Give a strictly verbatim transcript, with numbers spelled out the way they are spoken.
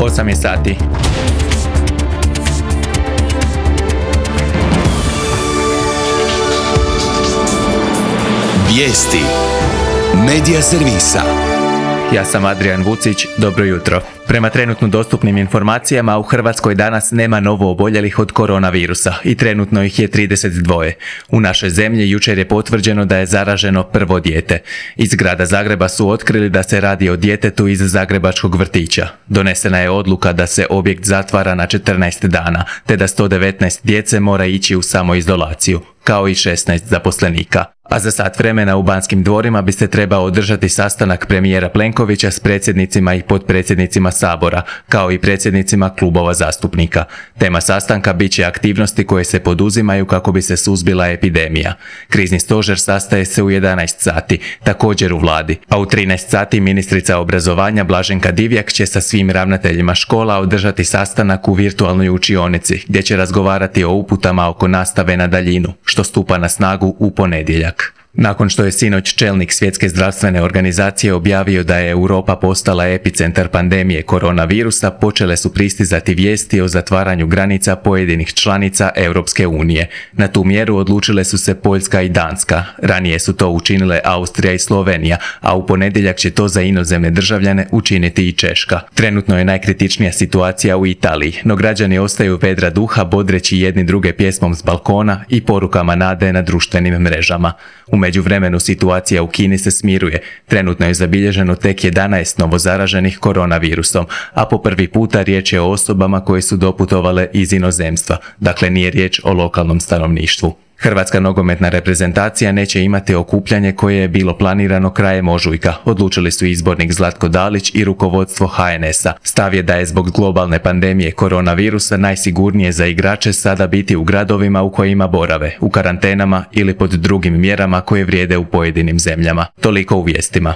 osam je sati. Vijesti Medija servisa. Ja sam Adrian Vucić, dobro jutro. Prema trenutno dostupnim informacijama, u Hrvatskoj danas nema novo oboljelih od koronavirusa i trenutno ih je trideset dva. U našoj zemlji jučer je potvrđeno da je zaraženo prvo dijete. Iz grada Zagreba su otkrili da se radi o djetetu iz zagrebačkog vrtića. Donesena je odluka da se objekt zatvara na četrnaest dana, te da sto devetnaest djece mora ići u samoizolaciju, kao i šesnaest zaposlenika. A za sat vremena u Banskim dvorima bi se trebao održati sastanak premijera Plenkovića s predsjednicima i potpredsjednicima Sabora, kao i predsjednicima klubova zastupnika. Tema sastanka bit će aktivnosti koje se poduzimaju kako bi se suzbila epidemija. Krizni stožer sastaje se u jedanaest sati, također u vladi, a u trinaest sati ministrica obrazovanja Blaženka Divjak će sa svim ravnateljima škola održati sastanak u virtualnoj učionici, gdje će razgovarati o uputama oko nastave na daljinu, što stupa na snagu u ponedjeljak. Nakon što je sinoć čelnik Svjetske zdravstvene organizacije objavio da je Europa postala epicentar pandemije koronavirusa, počele su pristizati vijesti o zatvaranju granica pojedinih članica Europske unije. Na tu mjeru odlučile su se Poljska i Danska. Ranije su to učinile Austrija i Slovenija, a u ponedjeljak će to za inozemne državljane učiniti i Češka. Trenutno je najkritičnija situacija u Italiji, no građani ostaju vedra duha bodreći jedni druge pjesmom s balkona i porukama nade na društvenim mrežama. U međuvremenu situacija u Kini se smiruje. Trenutno je zabilježeno tek jedanaest novozaraženih koronavirusom, a po prvi puta riječ je o osobama koje su doputovale iz inozemstva, dakle nije riječ o lokalnom stanovništvu. Hrvatska nogometna reprezentacija neće imati okupljanje koje je bilo planirano krajem ožujka, odlučili su izbornik Zlatko Dalić i rukovodstvo ha en es a. Stav je da je zbog globalne pandemije koronavirusa najsigurnije za igrače sada biti u gradovima u kojima borave, u karantenama ili pod drugim mjerama koje vrijede u pojedinim zemljama. Toliko u vijestima.